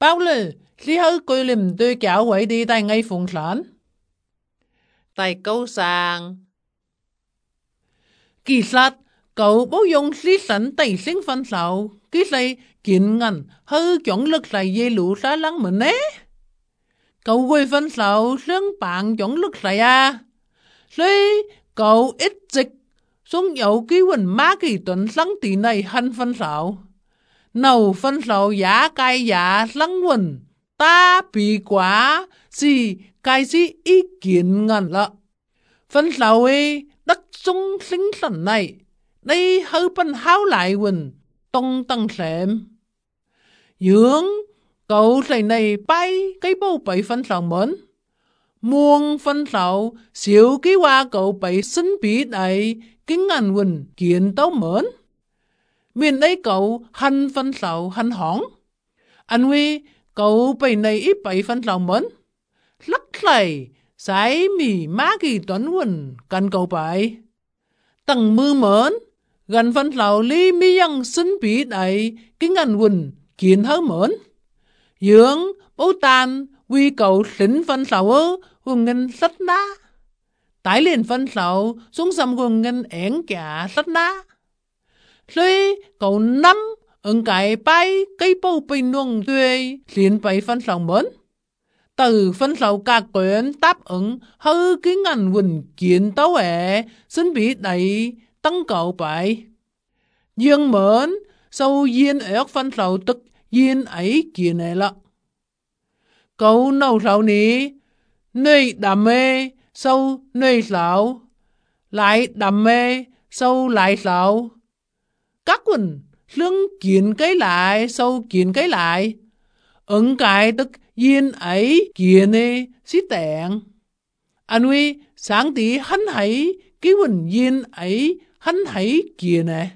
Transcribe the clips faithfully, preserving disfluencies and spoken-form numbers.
Bao lư, lý hữu cười liềm tôi kéo quậy đi tại ngay phùng sản. Tại câu sang. Kỳ sát, cậu bố dùng lý sẵn tại sinh phân sạo, ký xây kiện ngành hư chọn lực lại dây lũ xa lăng mình ấy. Cậu quay phân sạo sướng bạn chọn lực lại à. Rồi cậu ít dịch xuống dậu ký quỳnh má kỳ tuần lăng tỷ này hân phân sạo. Nầu phân sạo giá cai giá lăng quỳnh ta bị quá gì cái gì ý kiến ngàn lạ. Phân sạo ấy đất sung sinh sẵn này đây hơi phân háo lại quỳnh tông tăng xem. Dưỡng cậu thầy này bay cái bầu bậy phân sạo mến. Muôn phân sạo xíu ký qua cậu bậy sinh bí này kính ngàn quỳnh kiện tấu mến. Miền ấy cậu hân phân sạo hân hỏng. Anh huy cậu bậy này ít bậy phân sạo mến. Lắc thầy sái mì má kỳ toán quỳnh cần cậu bậy. Tầng mưa mến gần phân sạo lý mi dân sinh bí này kính ngàn quỳnh kiện hớ mến. Dưỡng bố tàn vì cậu xính phân sạo ơ hùng ngân sắt ná. Tái liền phân sạo xuống xăm hùng ngân ẻn kả sắt ná. Rồi cậu nắm ứng cái bay cây bầu bình nuông tuyê liền bày phân sạo mến. Từ phân sạo cả quyến táp ứng hư ký ngàn quỳnh kiện tấu ẻ xin bị đẩy tăng cậu bày. Dương mến sau duyên ớt phân sạo tức duyên ấy kia này lạ. Cậu nâu sạo ní nơi đam mê sau nơi sạo lại đam mê sau lại sạo. Các quỳnh lương kiện cái lại sau kiện cái lại. Ứng cái tức duyên ấy kia này xí tẹn. Anh huy sáng tí hắn hãy ký quỳnh duyên ấy hắn hãy kia này.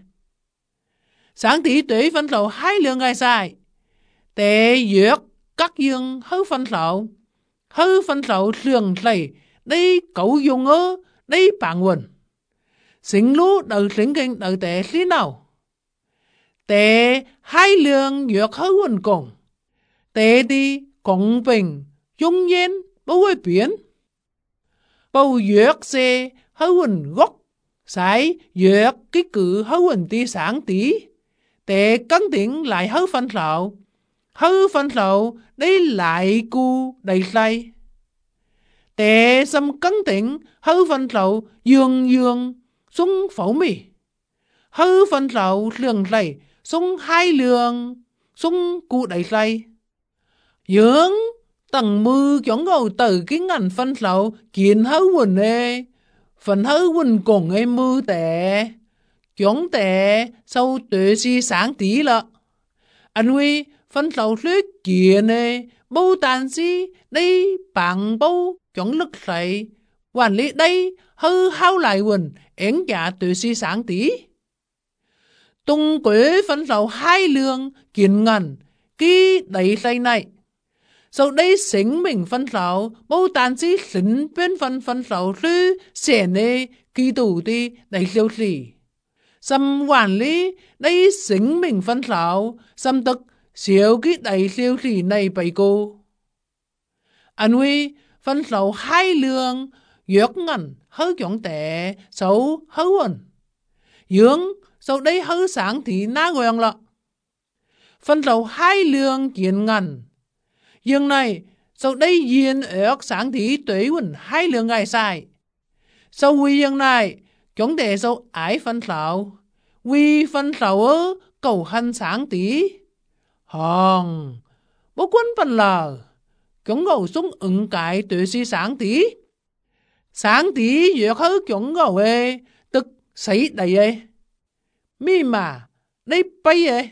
Sáng tí tuế phân sạo hai lượng gai sai. Tệ dược các dương hư phân sạo. Hư phân sạo lường thầy đây cậu dùng ơ đây bạn quỳnh. Xính lũ đầu xính kinh đầu tệ xí nào. Tệ hai lượng dược hư quỳnh cùng. Tệ đi cộng bình dung nhiên bố quay biến. Bầu dược xe hư quỳnh gốc. Sái dược ký cử hư quỳnh tí sáng tí. Tệ cân tiếng lại hư phân sạo. Hư phân sạo đây lại cu đầy say. Tệ xâm cân tiếng hư phân sạo dương dương xuống phẫu mì. Hư phân sạo lường say xuống hai lường xuống cu đầy say. Dưỡng tầng mư chóng ngầu từ cái ngành phân sạo kiện hư quỳnh ê. Phần hư quỳnh cùng ê mư tệ. Chóng tệ sau tuệ si sáng tí lạ. Anh huy phân sạo luyết kiện ê. Bố tàn si đây bằng bố chóng lực sậy. Hoàn lý đây hư hao lại quỳnh ẻn dạ tuệ si sáng tí. Tung quế phân sạo hai lương kiện ngành ký đầy say này. Sau đây xính mình phân sạo, bố tàn sĩ xính bên phân phân sạo sư xẻ nê kỳ tủ đi đầy siêu xỉ. Xâm quản lý đây xính mình phân sạo, xâm tức xíu ký đầy siêu xỉ này bày cô. Anh huy phân sạo hai lương, dược ngành hư chọn tệ, xấu hư quần. Dưỡng sau đây hư sáng thì ná quen lọ. Phân sạo hai lương kiện ngành. Dương này, sau đây duyên ớt sáng thí tuế quỳnh hai lượng gai sai. Sau quy dương này, chúng đề sau ái phân sạo. Quy phân sạo ơ, cầu hân sáng tí. Hòn, bố quân phân lờ. Chúng ngầu xuống ứng cái tuế si sáng tí. Sáng tí dược hứ chúng ngầu ê, tức sấy đầy ê. Mi mà, đây bay ê.